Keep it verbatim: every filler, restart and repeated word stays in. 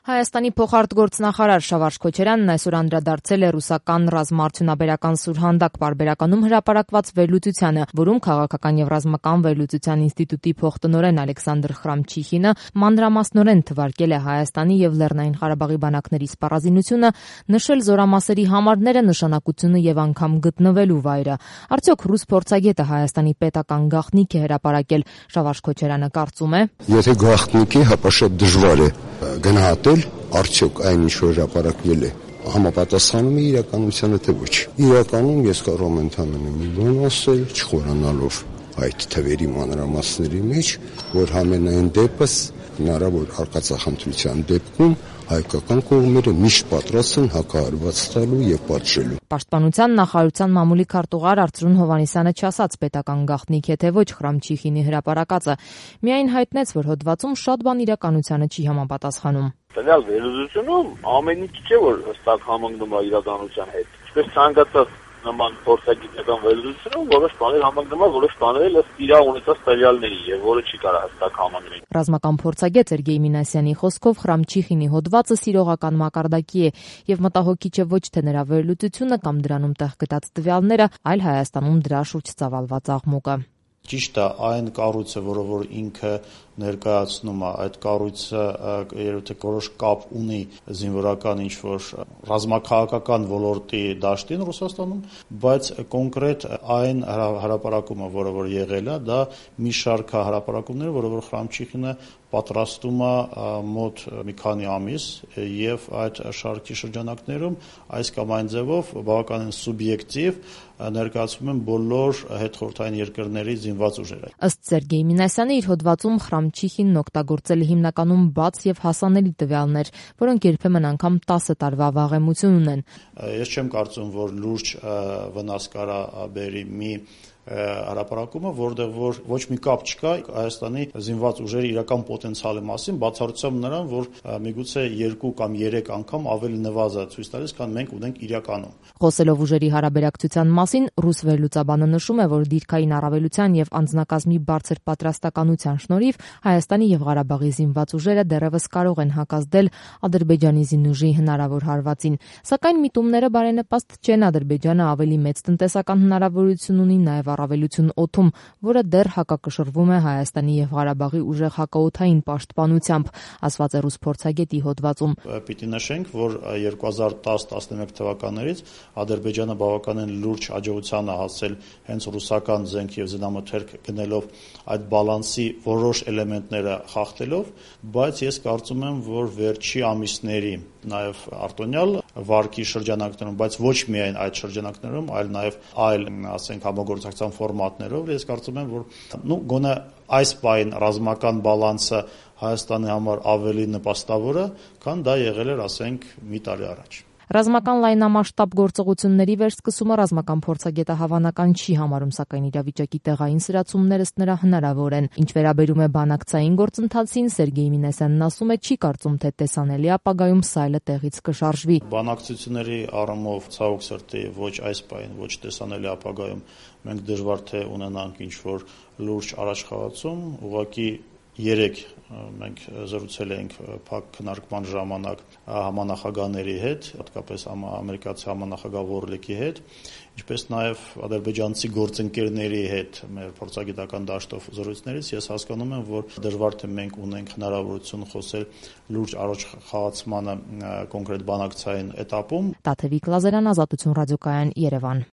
Հայաստանի փոխարտգործնախարար Շավարշ Քոչարյանն այսօր անդրադարձել է ռուսական ռազմաարդյունաբերական սուրհանդակ պարբերականում հրապարակված վերլուծությանը, որում քաղաքական եւ ռազմական վերլուծության ինստիտուտի փոխտնօրեն Ալեքսանդր Խրամչիխինը մանրամասնորեն թվարկել է Հայաստանի եւ Լեռնային Ղարաբաղի բանակների սպառազինությունը, նշել զորամասերի համարները, նշանակությունը եւ անգամ գտնվելու վայրը։ Արդյոք ռուս փորձագետը Հայաստանի պետական գաղտնիք է հրապարակել։ Շավարշ Քոչարյանը կարծում է. Եթե գաղտնիքի, հապա շատ դժվար է գնահատել, արդյոք այն ինչ որ հրապարակվել է համապատասխանում է իրականությանը, թե ոչ։ Իրականում ես կարող եմ ընդհանրապես մի բան ասել, չխորանալով այդ թվերի մանրամասների մեջ, որ համենայն դեպս հնարավոր արկածախնդրության դեպքում հայկական կողմերը միշտ պատրաստ են հակահարված տալու եւ պատժելու։ Պաշտպանության նախարարության մամուլի քարտուղար Արծրուն Հովհաննիսյանը չասաց պետական գաղտնիք է թե ոչ Խրամչիխինի հրապարակածը, միայն հայտնեց, որ հոդվածում շատ բան իրականությանը չի համապատասխանում։ Տվյալ վերլուծությունում ամեն ինչ չէ, որ հստակ համընկնում է իրականության հետ։ Ինչպես ցանկացած նման փորձագիտական վերլուծությունում որոշ բաներ համընկնում են, որոշ բաներ ըստ իր ունեցած տվյալների եւ որը չի կարող հստակ համընկնել։ Ռազմական փորձագետ Սերգեյ Մինասյանի խոսքով Խրամչիխինի հոդվածը սիրողական մակարդակի է եւ մտահոգիչ է ոչ թե նրա վերլուծությունը կամ դրանում տեղ գտած տվյալները, այլ Հայաստանում դրա շուրջ ծավալված աղմուկը։ Ճիշտ է, այն կառույցը, որը որ ինքը ներկայացնում է, այդ կառույցը երբ թե որոշ կապ ունի զինվորական ինչ-որ ռազմաքաղաքական ոլորտի դաշտին Ռուսաստանում, բայց կոնկրետ այն հրապարակումը, որը որ եղել է, դա մի շարք հրապարակումներ, որը որ Խրամչիխինը պատրաստում է մոտ մի քանի ամիս եւ այդ շարքի շրջանակներում այս կամ այն ձևով բավականին սուբյեկտիվ ներկայացվում են բոլոր հետխորհրդային երկրների զինված ուժերը։ Ըստ Սերգեյ Մինասյանի իր հոդվածում Խրամչիխինն օգտագործել է հիմնականում բաց եւ հասանելի տվյալներ, որոնք երբեմն անգամ տասը տարվա վաղեմություն ունեն։ Ես չեմ կարծում, որ լուրջ վնաս կարա բերի մի հրապարակումը, որտեղ որ ոչ մի կապ չկա Հայաստանի զինված ուժերի իրական պոտենցիալի մասին, բացառությամբ նրան, որ միգուցե երկու կամ երեք անգամ ավելի նվազ է ցույց տալիս, քան մենք ունենք իրականում։ Խոսելով ուժերի հարաբերակցության մասին, ռուս վերլուծաբանը նշում է, որ դիրքային առավելության եւ անձնակազմի բարձր պատրաստականության շնորհիվ Հայաստանի եւ Ղարաբաղի զինված ուժերը դեռևս կարող են հակազդել Ադրբեջանի զինուժի հնարավոր հարվածին, սակայն միտումները բարենպաստ չեն։ Ադրբեջանը ավելի մեծ տնտեսական հնարավորություն ունի նաեւ առավելություն օդում, որը դեռ հակակշռվում է Հայաստանի եւ Ղարաբաղի ուժեղ հակաօդային պաշտպանությամբ, ասված է ռուս փորձագետի հոդվածում։ Պիտի նշենք, որ երկու հազար տաս տասնմեկ թվականներից Ադրբեջանը բավականին լուրջ հաջողության է հասել հենց ռուսական զենք եւ զինամթերք գնելով այդ բալանսի որոշ էլեմենտները խախտելով, բայց ես կարծում եմ, որ վերջի ամիսների նաեւ արտոնյալ վարկի շրջանակներում, բայց ոչ միայն այդ շրջանակներում, այլ նաեւ այլ, ասենք, համագործակցության ֆորմատներով, ես կարծում եմ, որ նու գոնե այս պայն ռազմական բալանսը Հայաստանի համար ավելի նպաստավոր է, քան դա եղել էր, ասենք, մի տարի առաջ։ Ռազմական լայնամասշտաբ գործողությունների վերսկսումը ռազմական փորձագետը հավանական չի համարում, սակայն իրավիճակի տեղային սրացումներ ըստ նրա հնարավոր են։ Ինչ վերաբերում է բանակցային գործընթացին, Սերգեյ Մինասյանն ասում է, չի կարծում, թե տեսանելի ապագայում սայլը տեղից կշարժվի։ Բանակցությունների առումով ցավոք սրտի ոչ այս պայն, ոչ տեսանելի ապագայում մենք դժվար թե ունենանք ինչ-որ լուրջ առաջխաղացում, ուղղակի երեք մենք զրուցել ենք փակ քննարկման ժամանակ համանախագահների հետ, հատկապես ամերիկացի համանախագահ Որլեկի հետ, ինչպես նաև ադրբեջանցի գործընկերների հետ մեր փորձագիտական դաշտով զրույցներից ես հասկանում եմ, որ դժվար թե մենք ունենք հնարավորություն խոսել լուրջ առաջխաղացմանը կոնկրետ բանակցային էտապում։ Տաթևիկ Լազարյան, Ազատություն ռադիոկայան, Երևան։